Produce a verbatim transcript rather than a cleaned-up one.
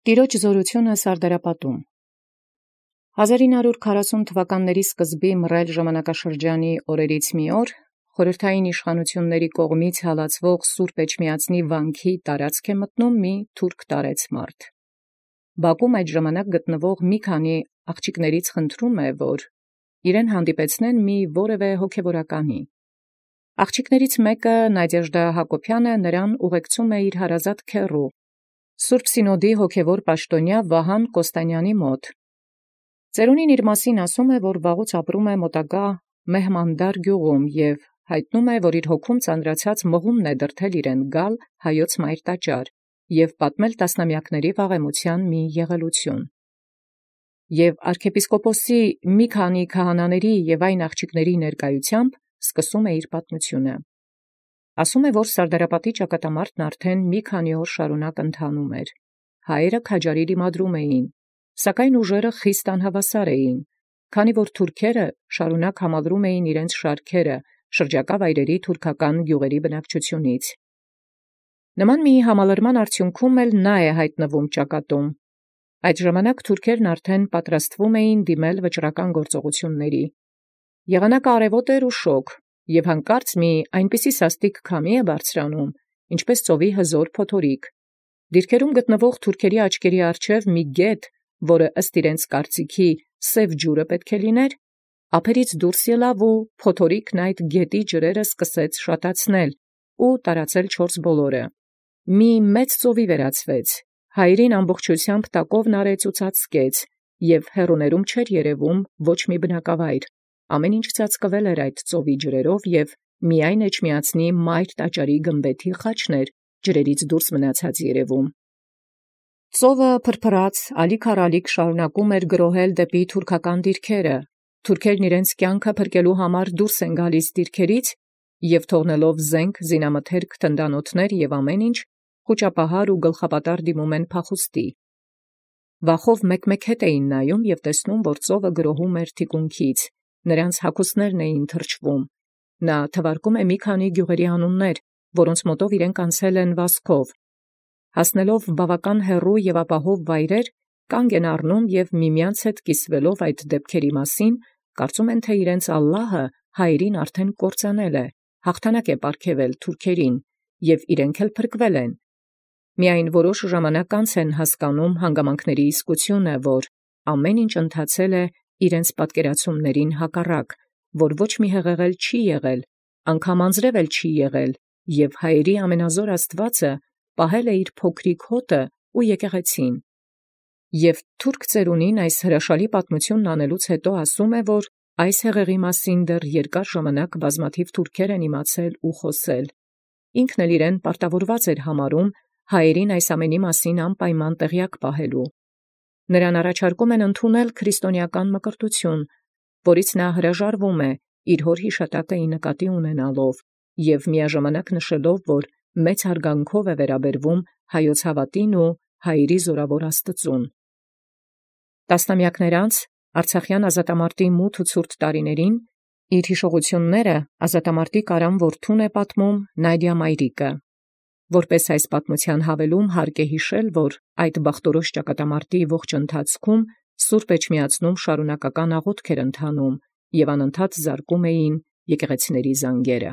Տեառն զաւրութիւնն Սարդարապատում։ հազար ինը հարյուր քառասուն թվականաց սկզբին մռայլ ժամանակաշրջանի օրերից մի օր, խորհրդային իշխանութիւնացն կողմէ հալածուող սուրբ էջմիածնի վանքի տարածք մտնում մի թուրք տարեծմարդ։ Բակում այդ ժամանակ գտնվող մի քանի աղջիկներից խնդրում է, որ իրեն հանդիպեցնեն մի որևէ հոգևորականի։ Աղջիկներից մեկը Նադեժդա Հակոբյանը նրան ուղեկցում է իր հարազատ քեռու, Սուրբ Սինոդի հոգևոր պաշտաւնեայ Վահան Կոստանյանի մոտ։ Ծերունին իր մասին ասում է, որ վաղուց ապրում է մոտակա Մեհմանդար գյուղում և հայտնում է, որ իր հոգում ծանրացած մղումն է դրդել իրեն գալ հայոց մայր տաճար և պատմել տասնամյակների վաղեմության մի եղելութիւն։ Եւ arczepiskoposi մի քանի քահանաների եւ այն աղջիկների ներկայութեամբ սկսում է իր պատմութիւնը։ Ասում է, որ Սարդարապատի ճակատամարտն արդեն մի քանի օր շարունակ ընթանում էր։ Հայերը քաջարի դիմադրում էին, սակայն ուժերը խիստ անհավասար էին, քանի որ թուրքերը շարունակ համալրում էին իրենց շարքերը շրջակա վայրերի թուրքական գյուղերի բնակչութիւնից։ Նման մի համալրման արդյունքում էլ նա է հայտնվում ճակատում։ Այդ ժամանակ թուրքերն արդեն պատրաստվում էին դիմել վճռական գործողությունների։ Եղանակը արևոտ էր ու շոգ, և հանկարծ մի այնպիսի սաստիկ քամի է բարձրանում, ինչպես ծովի հզոր փոթորիկ։ Դիրքերում գտնվող թուրքերի աչքերի առջև մի գետ, որը ըստ իրենց կարծիքի սև ջուրը պետք է լիներ, ափերից դուրս ելավ ու փոթորիկն այդ գետի ջրերը սկսեց շատացնել ու տարածել չորս բոլորը։ Մի մեծ ծովի վերածվեց, հայերին ամբողջութեամբ տակովն արեց ու ծածկեց, և հեռուներում չէր երևում ոչ մի բնակավայր, ամեն ինչ ծածկվել էր այդ ծովի ջրերով, և միայն Էջմիածնի մայր տաճարի գմբեթի խաչն էր ջրերից դուրս մնացած երևում։ Ծովը փրփրած ալիք առ ալիք շարունակում էր գրոհել դեպի թուրքական դիրքերը, թուրքերն իրենց կյանքը փրկելու համար դուրս են գալիս դիրքերից և թողնելով զենք, զինամթերք, թնդանոթներ և ամեն ինչ, խուճապահար ու գլխապատառ դիմում են փախուստի։ Վախով մեկ-մեկ հետ էին նայում և տեսնում, որ ծովը գրոհում էր թիկունքից, նրանց հագուստներն էին թրջվում։ Նա թվարկում է մի քանի գյուղերի անուններ, որոնց մոտով իրենք անցել են վազքով։ Հասնելով բավական հեռու և ապահով վայրեր, կանգ են առնում և միմյանց հետ կիսվելով այդ դեպքերի մասին, կարծում են, թե իրենց Ալլահը հայերին արդեն կործանել է, հաղթանակ է պարգևել թուրքերին, և իրենք էլ փրկվել են։ Միայն որոշ ժամանակ անց են հասկանում հանգամանքների իսկությունը, որ ամեն ինչ ընթացել է իրենց պատկերացումներին հակառակ, որ ոչ մի հեղեղել չի եղել, անգամ անձրև էլ չի եղել, և հայերի ամենազոր Աստուածը պահել է իր փոքրիկ հոտը ու եկեղեցին։ Եւ թուրք ծերունին այս հրաշալի պատմությունն անելուց հետո ասում է, որ այս հեղեղի մասին դեռ երկար ժամանակ բազմաթիվ թուրքեր են իմացել ու խոսել։ Ինքն էլ իրեն պարտավորված էր համարում հայերին այս ամենի մասին անպայման տեղյակ պահելու։ Նրան առաջարկում են ընդունել քրիստոնեական մկրտություն, որից նա հրաժարվում է իր հոր յիշատակը ի նկատի ունենալով և միաժամանակ նշելով, որ մեծ հարգանքով է վերաբերվում հայոց հավատին ու հայերի զորավոր Աստծուն։ Տասնամյակներ անց Արցախյան ազատամարտի մութ ու ցուրտ տարիներին իր հիշողությունները ազատամարտի կարան որդուն է պատմում Նադիա մայրիկը։ Որպես այս պատմության հավելում հարկ է յիշել, որ այդ բախտորոշ ճակատամարտի ողջ ընթացքում Սուրբ Էջմիածնում շարունակական աղոթք էր ընթանում և անընդհատ զարկում էին եկեղեցիների զանգերը։